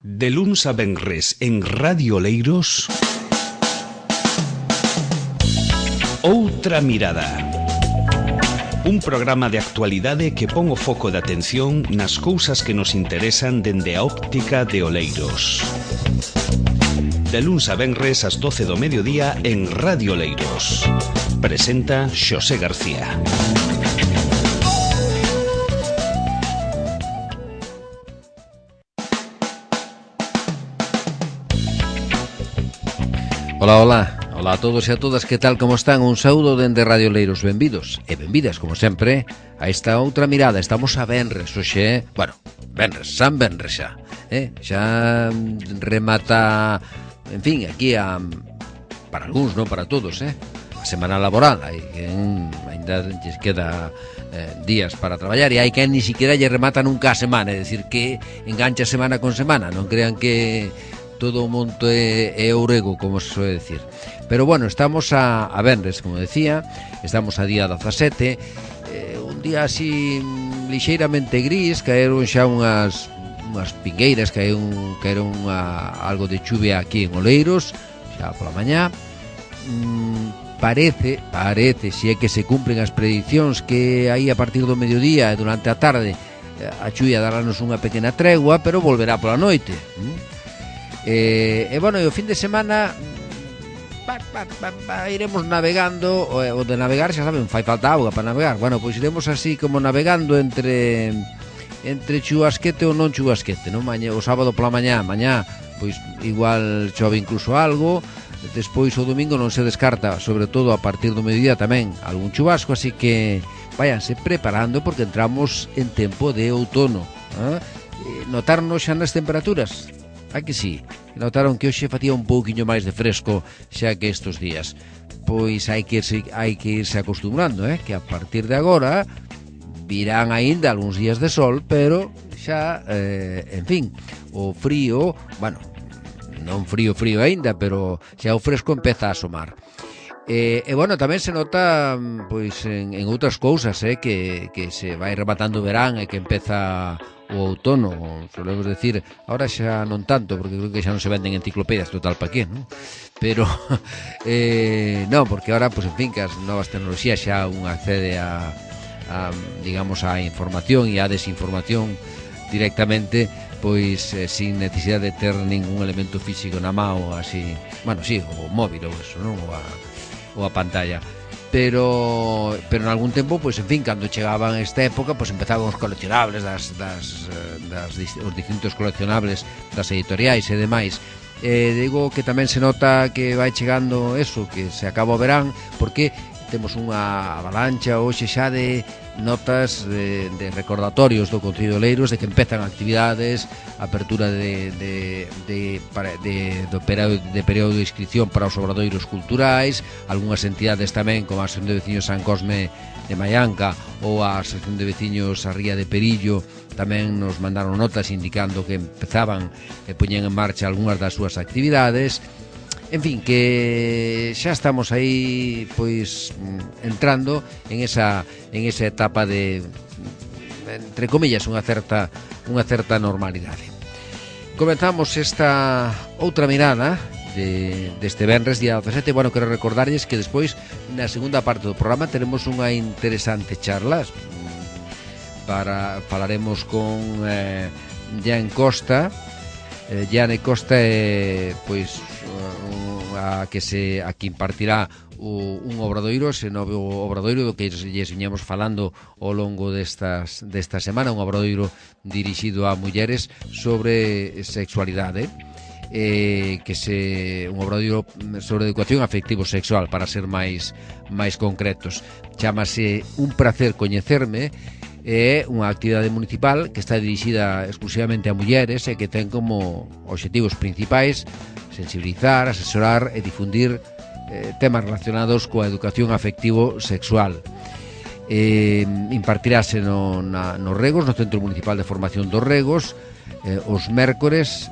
De luns a venres en Radio Oleiros, Outra Mirada. Un programa de actualidade que pon o foco de atención nas cousas que nos interesan dende a óptica de Oleiros. De luns a venres ás 12 do mediodía en Radio Oleiros. Presenta Xosé García. Ola a todos e a todas, que tal, como están? Un saúdo dende Radio Oleiros, benvidos e benvidas, como sempre, a esta outra mirada. Estamos a venres, hoxe, venres, San Venres xa, xa remata, en fin, aquí para algúns, non para todos, a semana laboral. Hai quen ainda lles queda días para traballar e hai quen ni siquiera lle remata nunca a semana, é dicir, que engancha semana con semana, non crean que todo o monte é ourego, como se suele decir. Pero bueno, estamos a venres, como decía, estamos a día 17, un día así lixeiramente gris, caeron xa unhas pingueiras, caeron algo de chuvia aquí en Oleiros, xa pola mañá. Parece, se é que se cumplen as predicións, que aí a partir do mediodía e durante a tarde a chuvia darános unha pequena tregua, pero volverá pola noite. E bueno, e o fin de semana iremos navegando. O de navegar, xa saben, fai falta auga para navegar. Bueno, pois iremos así como navegando entre chubasquete ou non chubasquete, non? O sábado pola mañá, pois igual chove incluso algo. Despois o domingo non se descarta, sobre todo a partir do mediodía tamén, algún chubasco, así que váyanse preparando porque entramos en tempo de outono. Notarnos xa nas temperaturas? A que sí? Notaron que hoxe facía un pouquiño máis de fresco xa que estes días. Pois hai que irse acostumbrando, que a partir de agora virán aínda algúns días de sol, pero xa, en fin, o frío, bueno, non frío aínda, pero xa o fresco empeza a asomar. E bueno, tamén se nota pois en outras cousas, que se vai rematando o verán e que empeza o outono, solemos decir, ahora xa non tanto, porque creo que xa non se venden enciclopedias, total pa qué, non? Pero non, porque ahora, pois en fin, que as novas tecnoloxías xa un accede a digamos, a información e a desinformación directamente, pois sin necesidade de ter ningún elemento físico na mão, así, bueno, sí, o móvil ou eso, non? Ou a pantalla. Pero en algún tempo, pois en fin, cando chegaban esta época, pois empezaban os coleccionables os distintos coleccionables das editoriais e demais. Digo que tamén se nota que vai chegando eso, que se acaba o verán, porque temos unha avalancha hoxe xa de notas de recordatorios do Concello de Oleiros de que empezan actividades, apertura de período de inscripción para os obradoiros culturais, algunhas entidades tamén, como a Asociación de Veciños San Cosme de Maianca ou a Asociación de Veciños a Ría de Perillo, tamén nos mandaron notas indicando que empezaban e poñen en marcha algunhas das súas actividades. En fin, que xa estamos aí, pois, entrando en esa etapa de, entre comillas, unha certa normalidade. Comenzamos esta outra mirada deste venres, día 17. Bueno, quero recordarlles que despois, na segunda parte do programa, teremos unha interesante charla. Falaremos con Jane Costa. Jane Costa é, pois, a que impartirá un obradoiro, ese novo obradoiro do que lles viñamos falando ao longo desta semana, un obradoiro dirixido a mulleres sobre sexualidade, un obradoiro sobre educación afectivo-sexual, para ser máis concretos. Chámase Un Prazer Coñecerme. É unha actividade municipal que está dirixida exclusivamente a mulleres e que ten como obxectivos principais sensibilizar, asesorar e difundir temas relacionados coa educación afectivo-sexual. Impartirase nos Regos, no Centro Municipal de Formación dos Regos, os mércores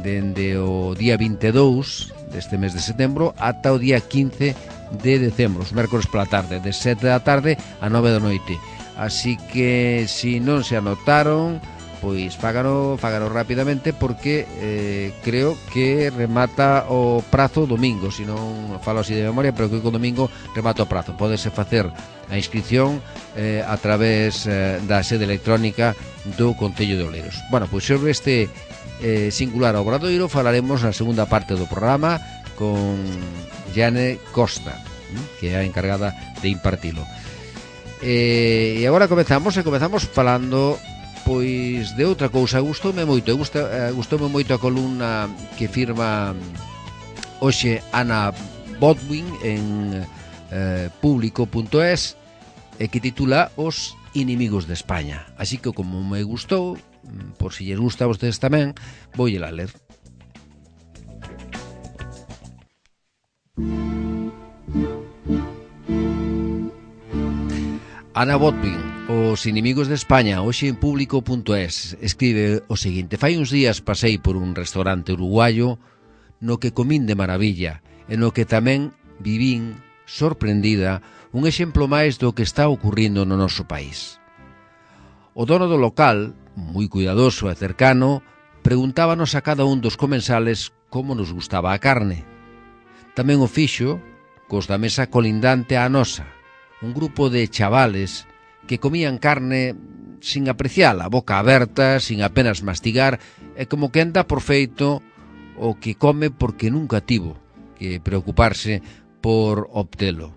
dende o día 22 deste mes de setembro ata o día 15 de decembro, os mércores pola tarde, de 7 da tarde a 9 da noite. Así que, se non se anotaron, pois fágano rapidamente porque creo que remata o prazo domingo, se non falo así de memoria, pero creo que o domingo remata o prazo. Pódese facer a inscripción a través da sede electrónica do Concello de Oleiros. Bueno, pois sobre este singular obradoiro falaremos na segunda parte do programa con Jane Costa, que é a encargada de impartilo. E agora comezamos falando pois de outra cousa. Gustoume moito a columna que firma hoxe Ana Botwin en público.es e que titula Os inimigos de España. Así que como me gustou, por si lles gusta a vostedes tamén, voulla ler. Ana Botwin, Os inimigos de España, hoxe en público.es, escribe o seguinte: fai uns días pasei por un restaurante uruguayo no que comín de maravilla e no que tamén vivín, sorprendida, un exemplo máis do que está ocurrindo no noso país. O dono do local, moi cuidadoso e cercano, preguntábanos a cada un dos comensales como nos gustaba a carne. Tamén o fixo cos da mesa colindante á nosa, un grupo de chavales que comían carne sin apreciala, a boca aberta, sin apenas mastigar, e como que anda por feito o que come porque nunca tivo que preocuparse por obtelo.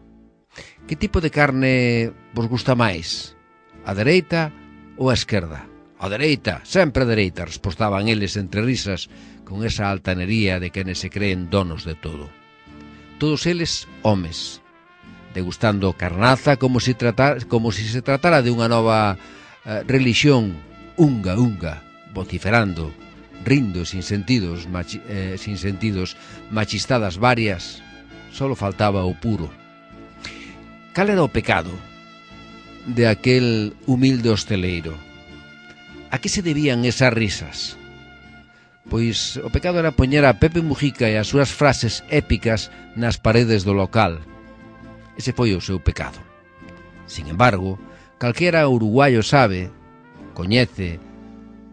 Que tipo de carne vos gusta máis? A dereita ou a esquerda? A dereita, sempre a dereita, respostaban eles entre risas, con esa altanería de quenes se creen donos de todo. Todos eles homes, degustando carnaza como si se tratara de unha nova religión, unga, vociferando, rindo sin sentidos, machistadas varias. Solo faltaba o puro. Cal era o pecado de aquel humilde hosteleiro? A que se debían esas risas? Pois o pecado era poñer a Pepe Mujica e as súas frases épicas nas paredes do local. Ese foi o seu pecado. Sin embargo, calquera uruguayo sabe, coñece,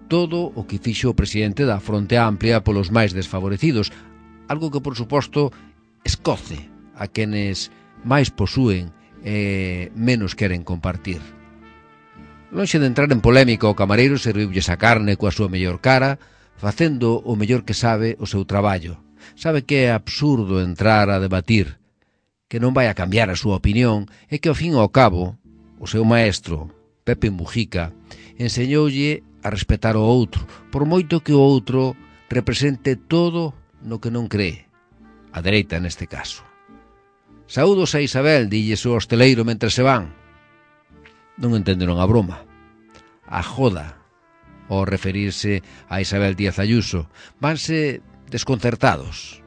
todo o que fixo o presidente da Fronte Amplia polos máis desfavorecidos, algo que, por suposto, escoce a quenes máis posúen e menos queren compartir. Lonxe de entrar en polémica, o camareiro serviulles a carne coa súa mellor cara, facendo o mellor que sabe o seu traballo. Sabe que é absurdo entrar a debatir, que non vai a cambiar a súa opinión e que ao fin e ao cabo o seu maestro, Pepe Mujica, enseñoulle a respetar o outro, por moito que o outro represente todo no que non cree, a dereita neste caso. Saúdos a Isabel, dilles o hosteleiro mentre se van. Non entenderon a broma, a joda, ao referirse a Isabel Díaz Ayuso. Vanse desconcertados,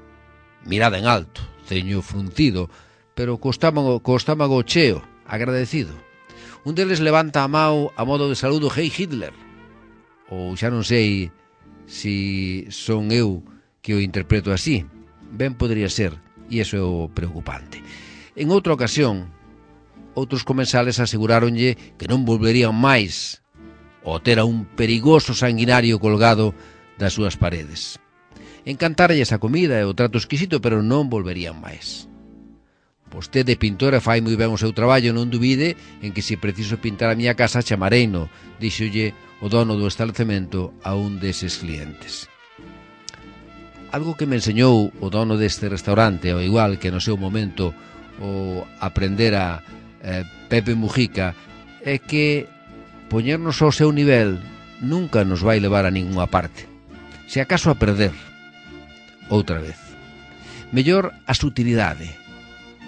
mirada en alto, ceño fruncido, pero co estómago cheo, agradecido. Un deles levanta a mão a modo de saludo Hey Hitler, ou xa non sei si son eu que o interpreto así. Ben podría ser, e iso é o preocupante. En outra ocasión, outros comensales aseguráronlle que non volverían máis ao ter a un perigoso sanguinario colgado das súas paredes. Encantaralles a comida e o trato exquisito, pero non volverían máis. Vostede, pintora, fai moi ben o seu traballo, non dubide en que se preciso pintar a miña casa chamareino, díxolle o dono do establecemento a un deses clientes. Algo que me enseñou o dono deste restaurante, ao igual que no seu momento o aprendera Pepe Mujica, é que poñernos ao seu nivel nunca nos vai levar a ninguna parte, se acaso a perder outra vez. Mellor a sutilidade,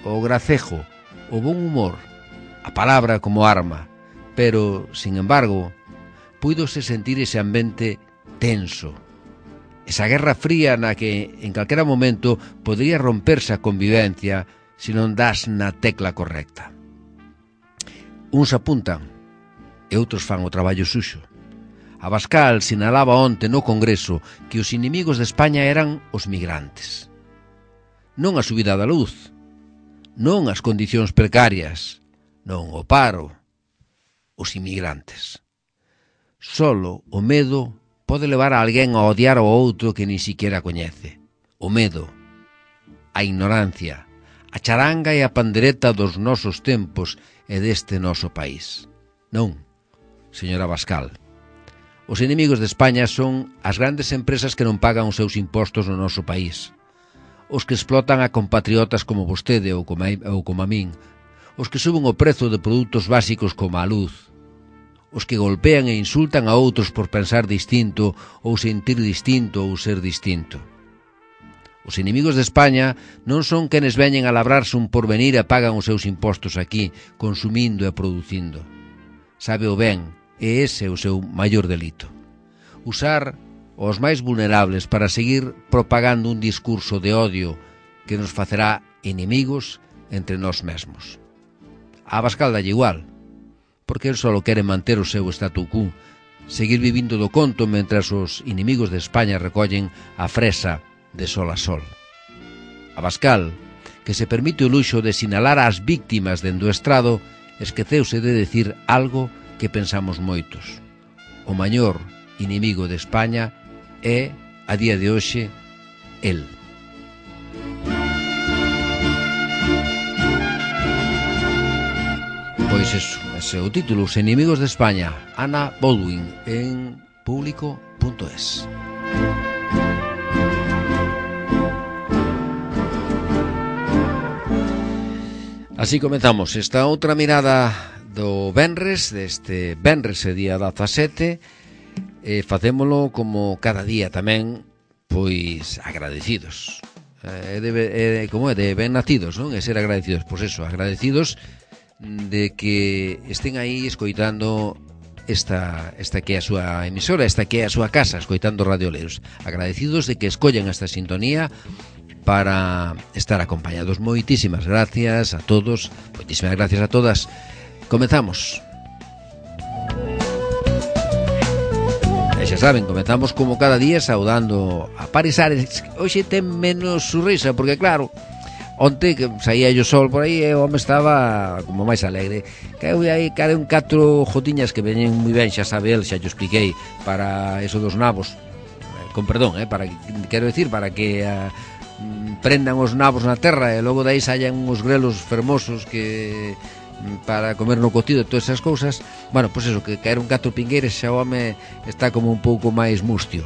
o gracejo, o bon humor, a palabra como arma, pero, sin embargo, puidose sentir ese ambiente tenso, esa guerra fría na que en calquera momento podría romperse a convivencia se non das na tecla correcta. Uns apuntan e outros fan o traballo suxo. Abascal sinalaba onte no Congreso que os inimigos de España eran os migrantes. Non a subida da luz, non as condicións precarias, non o paro, os inmigrantes. Solo o medo pode levar a alguén a odiar ao outro que ni siquiera coñece. O medo, a ignorancia, a charanga e a pandereta dos nosos tempos e deste noso país. Non, señora Abascal. Os inimigos de España son as grandes empresas que non pagan os seus impostos no noso país. Os que explotan a compatriotas como vostede ou como a min. Os que suben o prezo de produtos básicos como a luz. Os que golpean e insultan a outros por pensar distinto ou sentir distinto ou ser distinto. Os inimigos de España non son quenes veñen a labrarse un porvenir e pagan os seus impostos aquí, consumindo e producindo. Sabe o ben, e ese é o seu maior delito. Usar os máis vulnerables para seguir propagando un discurso de odio que nos facerá inimigos entre nós mesmos. A Abascal dalle igual, porque el só quere manter o seu statu quo, seguir vivindo do conto mentras os inimigos de España recollen a fresa de sol a sol. Abascal, que se permite o luxo de sinalar ás víctimas dende o estrado, esqueceuse de decir algo que pensamos moitos. O maior inimigo de España é, a día de hoxe, el. Pois eso, ese é o título, Os inimigos de España, Anna Baldwin, en público.es. Así comenzamos esta outra mirada do venres, deste venres e día 17, facémolo como cada día tamén, pois agradecidos. Como é, de ben nacidos, non? E ser agradecidos, pois eso, agradecidos de que estén aí escoitando esta que é a súa emisora, esta que é a súa casa, escoitando Radio Oleiros. Agradecidos de que escollen esta sintonía para estar acompañados. Moitísimas gracias a todos, moitísimas gracias a todas. Comezamos. E xa saben, comezamos como cada día saudando a Paris Ares. Hoxe ten menos surrisa, porque claro, onte que saía o sol por aí e o home estaba como máis alegre. Caeu aí, un 4 jotiñas que veñen moi ben, xa sabe el, xa yo expliquei, para eso dos nabos. Con perdón, para, quero decir, para que prendan os nabos na terra e logo dai saían uns grelos fermosos que para comer no cocido e todas esas cousas. Bueno, pois eso, que caeron 4 pingueiras, xa o home está como un pouco máis mustio.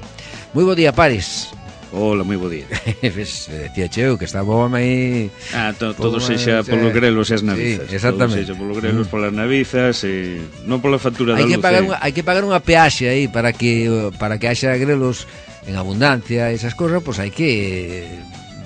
Moi bo día, Paris. Hola, moi bo día. Decía cheo que estaba o home aí. Todo sexa polos grelos e as navizas. Sí, exactamente. Todo sexa polos grelos, polas navizas e non pola factura da luz. Hai que pagar unha peaxe aí para que haxa grelos en abundancia, esas cosas, pois hai que,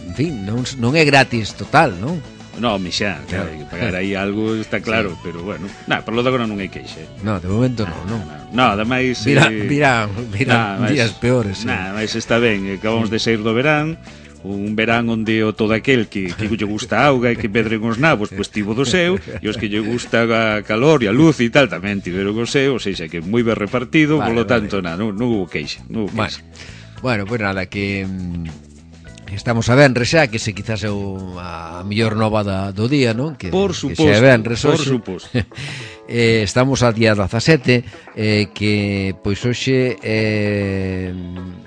en fin, non é gratis total, non? Non, xa, claro, hai que pagar aí algo, está claro, sí. Pero bueno, por lo de agora non hai queixa. No, de momento non. Ademais Virán días peores. Mas está ben, acabamos de sair do verán, un verán onde o todo aquel que lle gusta a auga e que pedren os nabos, pois tivo do seu, e os que lle gusta a calor e a luz e tal tamén tiveron o seu, ou seja, que moi ben repartido, polo tanto, non hubo queixa. Bueno, pois nada, que estamos a venres xa, que se quizás é a mellor nova do día, non? Que, por suposto, que xa é venres por hoxe. Suposto. Estamos a día 17, que pois hoxe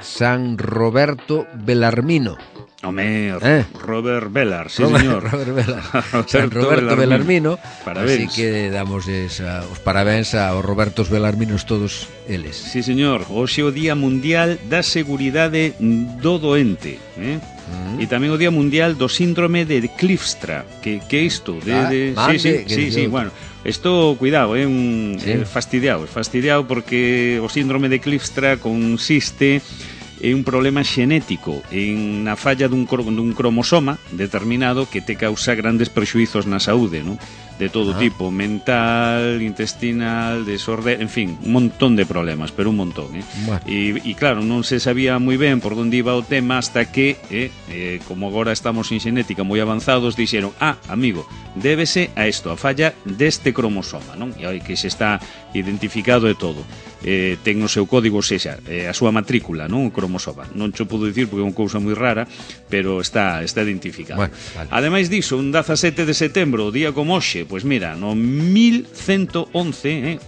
San Roberto Belarmino. Home, Robert Bellar, sí señor. Robert Bellar. San Roberto Belarmino. Parabéns. Así que damos os parabéns aos Robertos Belarminos todos eles. Sí señor, hoxe o Día Mundial da Seguridade do Doente, E tamén o Día Mundial do Síndrome de Clifstra, que é isto? Sí, bueno, isto, cuidado, é fastidiado porque o síndrome de Clifstra consiste en un problema xenético, en a falla dun cromosoma determinado que te causa grandes prexuizos na saúde, non? De todo tipo, mental, intestinal, desorden, en fin, un montón de problemas, pero un montón, Bueno. E claro, non se sabía moi ben por onde iba o tema hasta que, como agora estamos en xenética moi avanzados, dixeron, amigo, débese a isto, a falla deste cromosoma, non? E aí que se está identificado e todo. ten o seu código, sexa, a súa matrícula, non? O cromosoma. Non cho podo dicir porque é unha cousa moi rara, pero está identificado. Bueno, vale. Ademais diso, un 17 de setembro, o día como hoxe, pois mira, no 1111,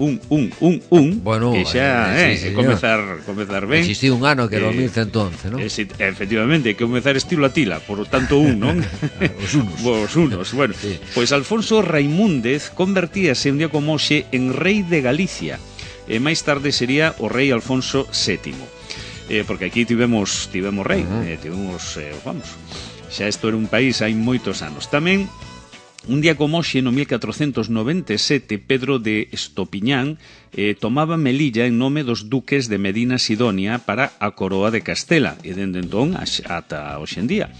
bueno, que xa, comezar ben. Existiu un ano que era o 1111, non? Efectivamente, que comezar estilo Atila, por tanto non? Os unos, bueno. Sí. Pois Alfonso Raimúndez convertíase un día como hoxe en rei de Galicia, e máis tarde sería o rei Alfonso VII, porque aquí tivemos rei, vamos, xa isto era un país hai moitos anos. Tamén un día como hoxe, no 1497, Pedro de Estopiñán tomaba Melilla en nome dos duques de Medina Sidonia para a coroa de Castela, e dende entón ata hoxe en día.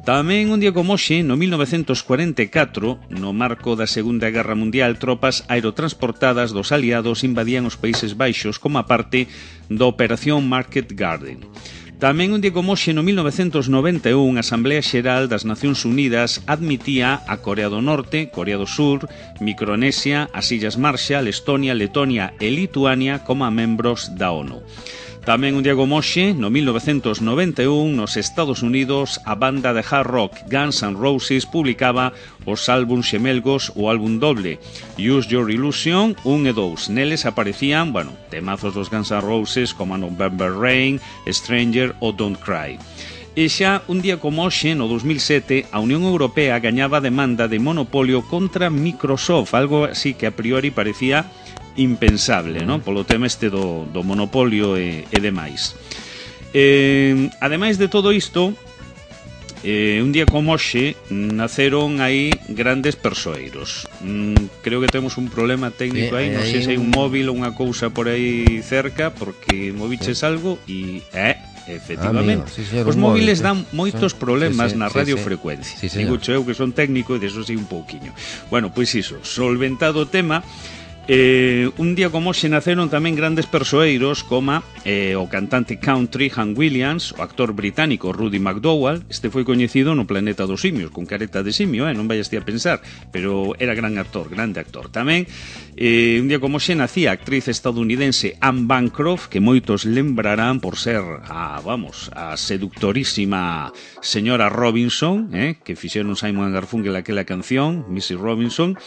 Tamén un día como hoxe, no 1944, no marco da Segunda Guerra Mundial, tropas aerotransportadas dos aliados invadían os Países Baixos como a parte da Operación Market Garden. Tamén un día como hoxe, no 1991, a Asamblea Xeral das Nacións Unidas admitía a Corea do Norte, Corea do Sur, Micronesia, as Illas Marshall, Estonia, Letonia e Lituania como membros da ONU. Tamén un día como hoxe, no 1991, nos Estados Unidos, a banda de hard rock Guns N' Roses publicaba os álbuns xemelgos, o álbum doble Use Your Illusion 1 e 2. Neles aparecían, temazos dos Guns N' Roses como November Rain, Stranger ou Don't Cry. E xa un día como hoxe, no 2007, a Unión Europea gañaba a demanda de monopolio contra Microsoft, algo así que a priori parecía impensable, non? Polo tema do monopolio e demais. Ademais de todo isto, un día como hoxe naceron aí grandes persoeiros. Creo que temos un problema técnico aí, non sei se hai un móvil ou unha cousa por aí cerca, porque moviches algo e... efectivamente, os móviles dan moitos problemas na radiofrecuencia. Digo eu que son técnico e deso sei un pouquiño. Bueno, pois iso, solventado o tema. Un día como hoxe naceron tamén grandes persoeiros como o cantante country Hank Williams, o actor británico Rudy McDowall. Este foi coñecido no Planeta dos Simios con careta de simio, non vayas ti a pensar, pero era grande actor. Tamén un día como hoxe nacía a actriz estadounidense Anne Bancroft, que moitos lembrarán por ser a seductorísima señora Robinson, que fixeron Simon & Garfunkel aquela canción Mrs. Robinson,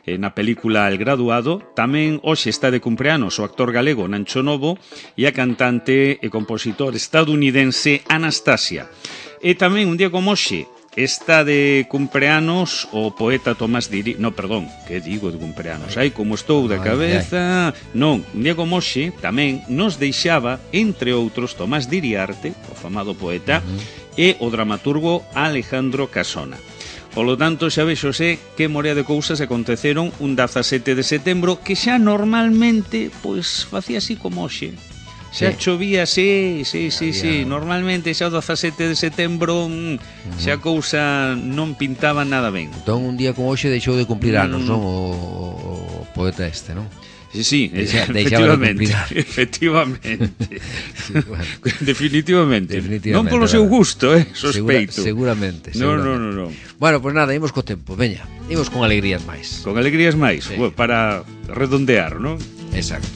na película El Graduado. Tamén hoxe está de cumpleanos o actor galego Nancho Novo e a cantante e compositor estadounidense Anastasia. E tamén un día como hoxe está de cumpleanos o poeta Tomás Diri... No, perdón, que digo de cumpleanos? Ai, como estou da cabeza... Non, un día como hoxe tamén nos deixaba, entre outros, Tomás Diriarte, o famado poeta, e o dramaturgo Alejandro Casona. Polo tanto, xa vexose que morea de cousas aconteceron un 17 de setembro, que xa normalmente, pois, facía así como hoxe. Xa chovía, sí, normalmente xa o 17 de setembro xa a cousa non pintaba nada ben. Entón, un día como hoxe deixou de cumplir anos, non? O poeta este, non? Sí, efectivamente. Definitivamente. Non polo seu gusto, sospeito. Seguramente. Non. Bueno, pois nada, imos co tempo, veña. Imos con alegrías máis. Con alegrías máis, para redondear, non? Exacto.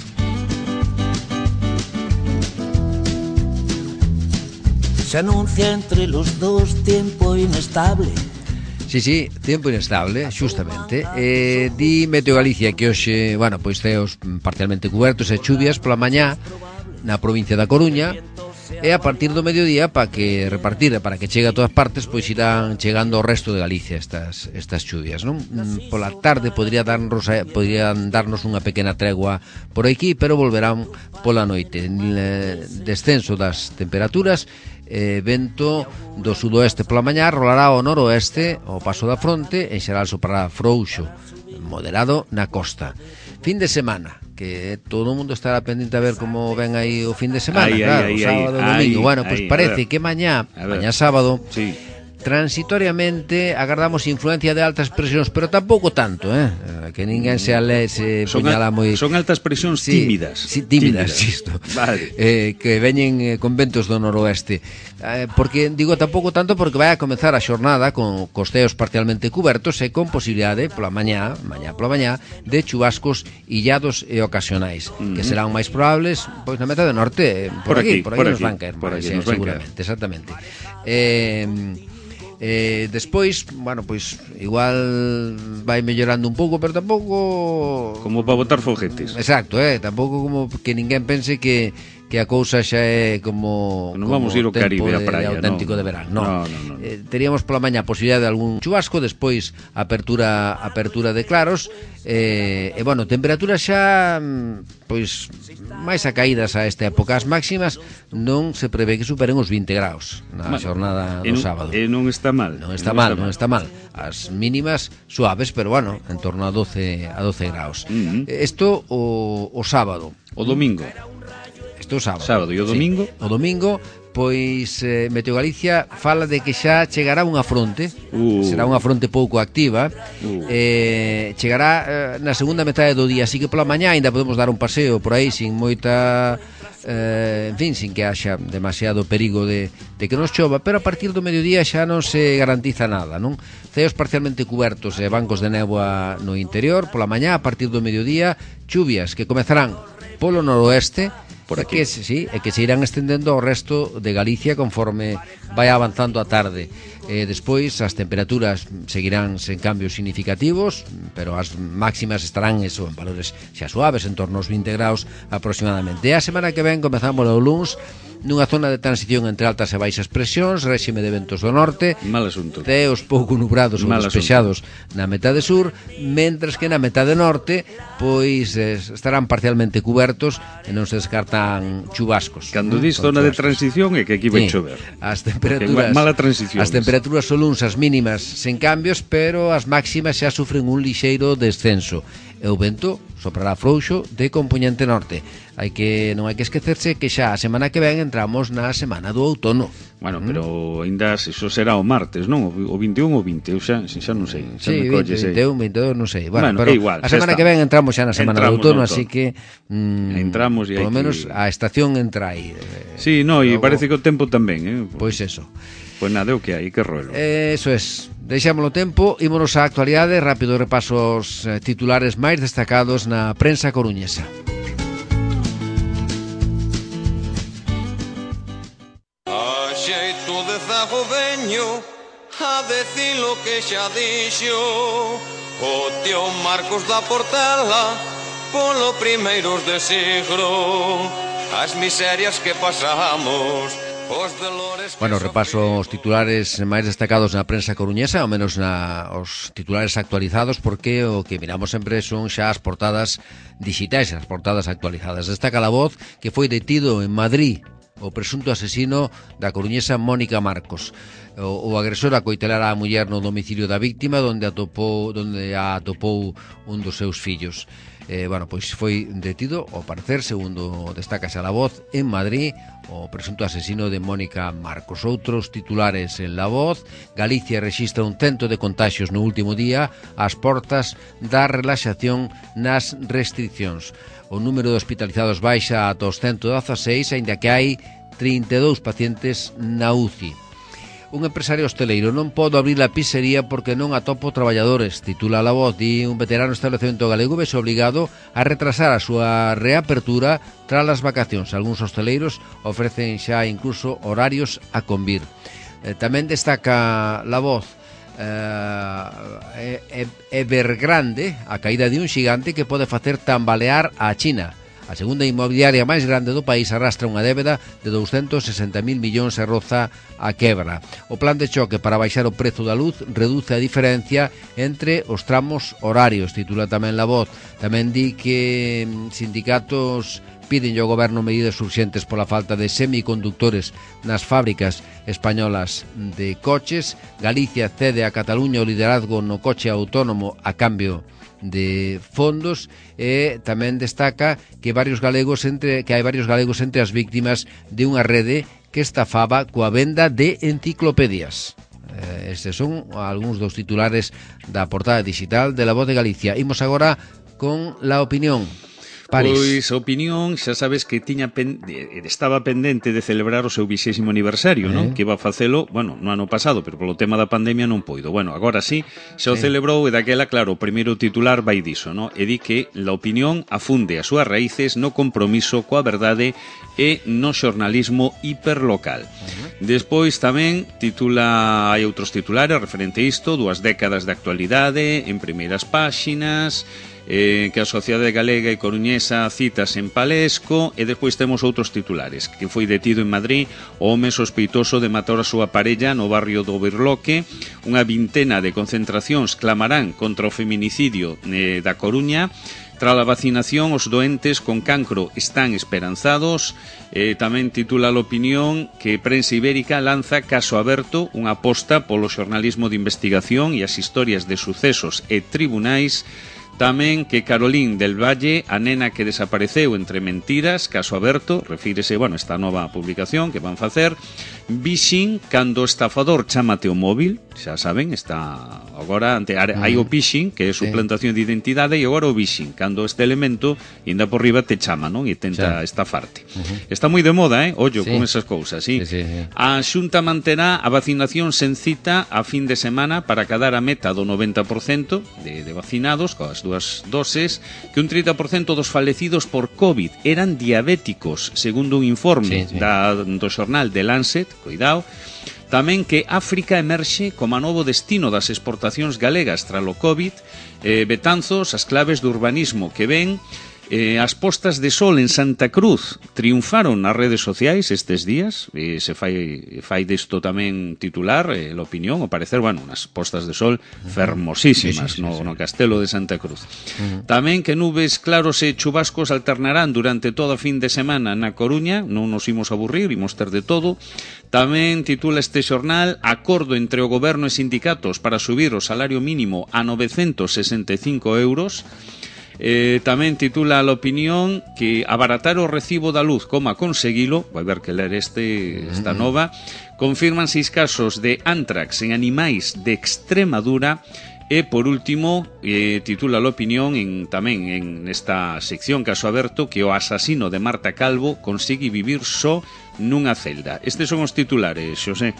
Se anuncia entre los dos tiempo inestable. Sí, tempo inestable, xustamente. Di Meteo Galicia que hoxe, pois ceos parcialmente cubertos e chuvias pola mañá na provincia da Coruña, e a partir do mediodía para que chegue a todas partes, pois irán chegando ao resto de Galicia estas chuvias, non? Pola tarde podrían darnos unha pequena tregua por aquí, pero volverán pola noite. Descenso das temperaturas, vento do sudoeste pola mañá, rolará ao noroeste ao paso da fronte, en xeral soprará frouxo moderado na costa. Fin de semana, que todo o mundo estará pendente a ver como ven aí o fin de semana, sábado e domingo. Pois parece que mañá sábado, transitoriamente agardamos influencia de altas presións, pero tampouco tanto, que ninguén se puñala moi... Son altas presións tímidas. Sí, tímidas, isto. Vale. Que veñen con ventos do noroeste. Porque, digo, tampouco tanto porque vai a comezar a xornada con costeos parcialmente cubertos e con posibilidade pola mañá de chubascos illados e ocasionais, que serán máis probables pois na metade norte, por aquí nos van caer, seguramente, exactamente. Despois, bueno, pois igual vai mellorando un pouco, pero tampouco como para botar foguetes. Exacto, tampouco como que ninguén pense que a cousa xa é como non vamos ir ao Caribe, a praia, auténtico de verán. No. Teríamos pola mañá a posibilidade de algún chubasco, despois apertura de claros, bueno, temperaturas xa pois máis acaídas a esta época. As máximas non se prevé que superen os 20 graus na xornada do sábado. E non está mal. Non está mal. As mínimas suaves, pero bueno, en torno a 12 graus. Isto o sábado. O domingo. Isto o sábado. E o domingo? O domingo, pois Meteo Galicia fala de que xa chegará unha fronte, será unha fronte pouco activa, chegará na segunda metade do día, así que pola mañá ainda podemos dar un paseo por aí sin moita... en fin, sin que haxa demasiado perigo de que nos chova, pero a partir do mediodía xa non se garantiza nada, non? Ceos parcialmente cubertos e bancos de néboa no interior, pola mañá, a partir do mediodía, chuvias que comezarán polo noroeste, por aquí, e que se irán estendendo ao resto de Galicia conforme vai avanzando a tarde. Despois as temperaturas seguirán sen cambios significativos, pero as máximas estarán en valores xa suaves, en torno aos 20 graus aproximadamente. E a semana que ven comezamos o luns nunha zona de transición entre altas e baixas presións, réxime de ventos do norte, mal asunto, ceos pouco nubrados ou despexados na metade sur, mentras que na metade norte pois estarán parcialmente cubertos e non se descartan chubascos. Cando dis zona de transición é que aquí vai chover. As temperaturas, mala transición. As temperaturas son luns as mínimas sen cambios, pero as máximas xa sufren un lixeiro descenso. E o vento soprará frouxo de compoñente norte. Non hai que esquecerse que xa a semana que ven entramos na semana do outono. Bueno, pero ainda iso será o martes, non? O 21 ou 20, eu xa non sei. Sí, 21, 22, non sei. Bueno, pero igual, a semana que ven entramos xa na semana do outono, así que entramos e por lo menos a estación entra aí. Sí, e parece que o tempo tamén, Pois eso. Pois nada, o que hai, que rollo. Eso es. Deixámoslo tempo, ímonos á actualidade, rápido repaso os titulares máis destacados na prensa coruñesa. A xeito de zago veño a decir lo que xa dixo o tío Marcos da Portela polo primeiros de siglo, as miserias que pasamos. Bueno, repaso os titulares máis destacados na prensa coruñesa, ao menos os titulares actualizados, porque o que miramos sempre son xa as portadas digitais, as portadas actualizadas. Destaca La Voz que foi detido en Madrid o presunto asesino da coruñesa Mónica Marcos. O agresor acoitelara a muller no domicilio da víctima, onde a atopou un dos seus fillos. Pois foi detido, ao parecer, segundo destaca xa La Voz, en Madrid, o presunto asesino de Mónica Marcos. Outros titulares en La Voz: Galicia rexistra un cento de contaxios no último día ás portas da relaxación nas restriccións. O número de hospitalizados baixa ata os 116, aínda que hai 32 pacientes na UCI. Un empresario hosteleiro: non podo abrir a pizzería porque non atopo traballadores, titula La Voz. Di un veterano establecemento galego vese obligado a retrasar a súa reapertura tras as vacacións. Algúns hosteleiros ofrecen xa incluso horarios a convir. Tamén destaca La Voz Evergrande, a caída de un xigante que pode facer tambalear a China. A segunda inmobiliaria máis grande do país arrastra unha débeda de 260.000 millóns e roza a quebra. O plan de choque para baixar o prezo da luz reduce a diferencia entre os tramos horarios, titula tamén La Voz. Tamén di que sindicatos piden ao goberno medidas urxentes pola falta de semiconductores nas fábricas españolas de coches. Galicia cede a Cataluña o liderazgo no coche autónomo a cambio de fondos, e tamén destaca que hai varios galegos entre as víctimas de unha rede que estafaba coa venda de enciclopedias. Estes son algúns dos titulares da portada digital de La Voz de Galicia. Imos agora con La Opinión. París. Pois a Opinión, xa sabes que estaba pendente de celebrar o seu 20º aniversario, non? Que iba a facelo, bueno, no ano pasado, pero polo tema da pandemia non poido. Bueno, agora sí, xa o celebrou e daquela, claro, o primeiro titular vai diso, non? E di que La Opinión afunde as súas raíces no compromiso coa verdade e no xornalismo hiperlocal. Despois tamén hai outros titulares referente a isto, 2 décadas de actualidade en primeiras páxinas, que a Sociedade Galega e Coruñesa citas en Palesco, e despois temos outros titulares, que foi detido en Madrid o home sospeitoso de matar a súa parella no barrio do Birloque, unha vintena de concentracións clamarán contra o feminicidio da Coruña. Tras a vacinación, os doentes con cancro están esperanzados. Tamén titula a Opinión que Prensa Ibérica lanza Caso Aberto, unha aposta polo xornalismo de investigación e as historias de sucesos e tribunais. Tamén que Carolín del Valle, a nena que desapareceu entre mentiras, Caso Aberto, refírese, bueno, esta nova publicación que van facer. Phishing, cando o estafador chámate o móvil, xa saben, está agora hai o phishing, que é suplantación de identidade, e agora o phishing, cando este elemento inda por riba te chama, non? E tenta estafarte. Está moi de moda, ollo, con esas cousas, sí. A Xunta manterá a vacinación sen cita a fin de semana para cadar a meta do 90% de vacinados coas 2 doses, que un 30% dos falecidos por COVID eran diabéticos, segundo un informe do xornal The Lancet, cuidado. Tamén que África emerxe como novo destino das exportacións galegas tras o COVID. Betanzos, as claves do urbanismo que ven. As postas de sol en Santa Cruz triunfaron nas redes sociais estes días, se fai desto tamén titular a Opinión, ao parecer, bueno, unas postas de sol fermosísimas no Castelo de Santa Cruz. Tamén que nubes claros e chubascos alternarán durante todo o fin de semana na Coruña, non nos imos aburrir, imos ter de todo. Tamén titula este xornal Acordo entre o goberno e sindicatos para subir o salario mínimo a 965 euros. Tamén titula a Opinión que abaratar o recibo da luz, como a conseguilo, vai ver que ler esta nova. Confirman 6 casos de antrax en animais de Extremadura. E por último, titula a Opinión tamén en esta sección Caso Aberto que o asasino de Marta Calvo consigue vivir só nunha celda. Estes son os titulares, Xosé.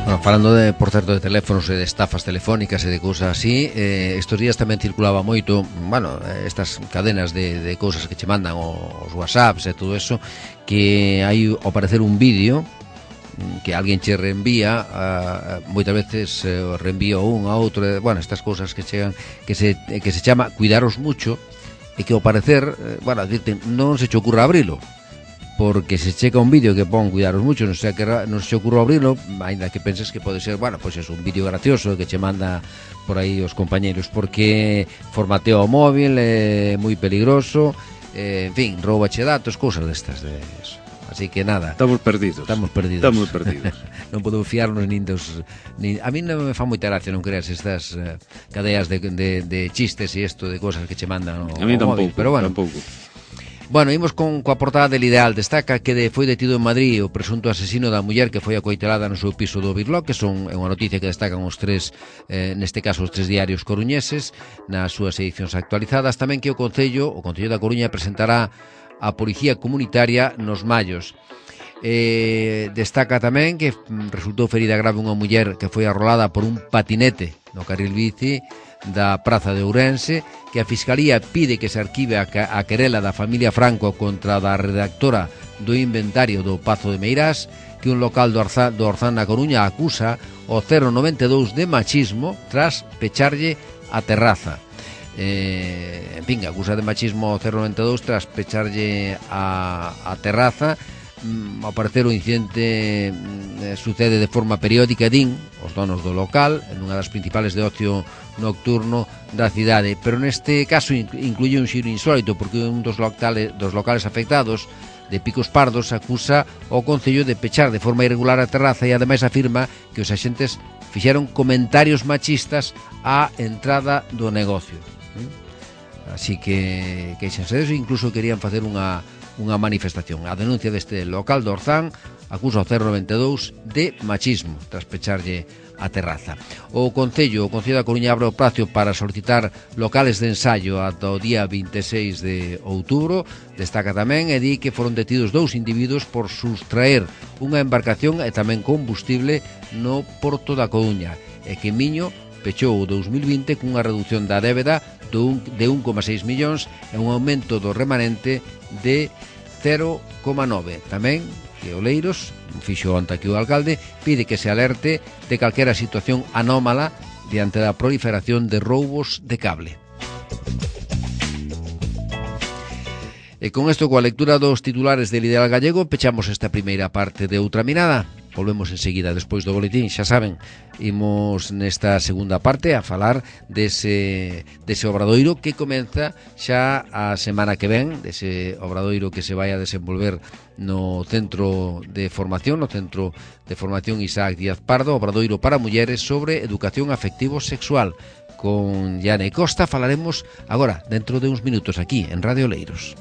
Bueno, falando por certo de teléfonos e de estafas telefónicas e de cousas así, estos días tamén circulaba moito, bueno, estas cadenas de cousas que che mandan os WhatsApps e todo eso, que hai ao parecer un vídeo que alguén che reenvía, moitas veces reenvía un a outro, bueno, estas cousas que chegan que se chama cuidaros mucho, e que ao parecer, bueno, non se che ocurra abrilo, porque se checa un vídeo que pon cuidaros mucho, non se ocurre abrilo, ainda que penses que pode ser, bueno, pois é un vídeo gracioso que che manda por aí os compañeros, porque formatea o móvil, é moi peligroso, en fin, roubache datos, cousas destas de eso. Así que nada, estamos perdidos. Non podemos fiarnos nin dos a mí non me fa moita gracia, non creas, estas cadeas de chistes e isto de cosas que che mandan a mí tampouco, pero bueno, tampouco. Bueno, imos coa portada del Ideal. Destaca que foi detido en Madrid o presunto asesino da muller que foi acoitelada no seu piso do Birloque. É unha noticia que destacan os tres, neste caso os tres diarios coruñeses, nas súas edicións actualizadas. Tamén que o Concello da Coruña presentará a Policía Comunitaria nos Mallos. Destaca tamén que resultou ferida grave unha muller que foi arrolada por un patinete no carril bici da Praza de Ourense, que a Fiscalía pide que se arquive a querela da familia Franco contra da redactora do inventario do Pazo de Meirás, que un local do Orzán na Coruña acusa o 092 de machismo tras pecharlle a terraza. En fin, acusa de machismo o 092 tras pecharlle a terraza. Ao parecer o incidente sucede de forma periódica, din os donos do local, en unha das principales de ocio nocturno da cidade, pero neste caso incluye un xiro insólito, porque un dos locales afectados de Picos Pardos acusa o Concello de pechar de forma irregular a terraza e ademais afirma que os axentes fixeron comentarios machistas á entrada do negocio. Así que queixanse deso, incluso querían facer unha manifestación. A denuncia deste local do Orzán acusa o 092 de machismo tras pecharlle a terraza. O Concello da Coruña abre o prazo para solicitar locales de ensaio ata o día 26 de outubro. Destaca tamén e di que foron detidos 2 individuos por sustraer unha embarcación e tamén combustible no Porto da Coruña, e que Miño pechou o 2020 cunha reducción da débeda de 1,6 millóns e un aumento do remanente de 0,9. Tamén que Oleiros, fixo onte aquí o alcalde, pide que se alerte de calquera situación anómala diante da proliferación de roubos de cable. E con isto, coa lectura dos titulares del Ideal Gallego, pechamos esta primeira parte de Outra Mirada. Volvemos enseguida despois do boletín, xa saben. Imos nesta segunda parte a falar dese obradoiro que comeza xa a semana que ven, dese obradoiro que se vai a desenvolver no Centro de Formación, Isaac Díaz Pardo, obradoiro para mulleres sobre educación afectivo-sexual. Con Yane Costa falaremos agora, dentro de uns minutos, aquí en Radio Oleiros.